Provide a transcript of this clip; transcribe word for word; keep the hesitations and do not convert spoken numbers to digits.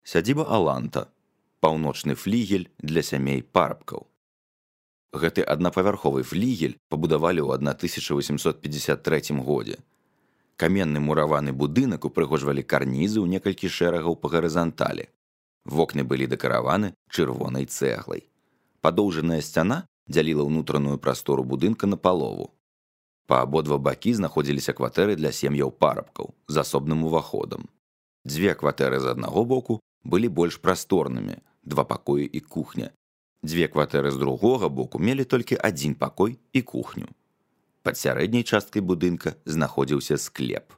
Сядзіба Аланта, паўночны флігель для сямей парабкаў. Гэты аднапавярховы флігель пабудавалі ў тысяча васемсот пятьдесят трэцім годзе. Каменны мураваны будынак упрыгожвалі карнізы ў некалькі шэрагаў па гарызанталі. Вокны былі дэкараваны чырвонай цэглай. Падоўжаная сцяна дзяліла ўнутраную прастору будынка на палову. Па абодва бакі знаходзіліся кватэры для сем'яў парабкаў з асобным уваходам. Дзве кватэры з аднаго боку былі больш прасторнымі, два пакоі і кухня. Дзве кватэры з другога боку мелі толькі адзін пакой і кухню. Пад сярэдняй часткай будынка знаходзіўся склеп.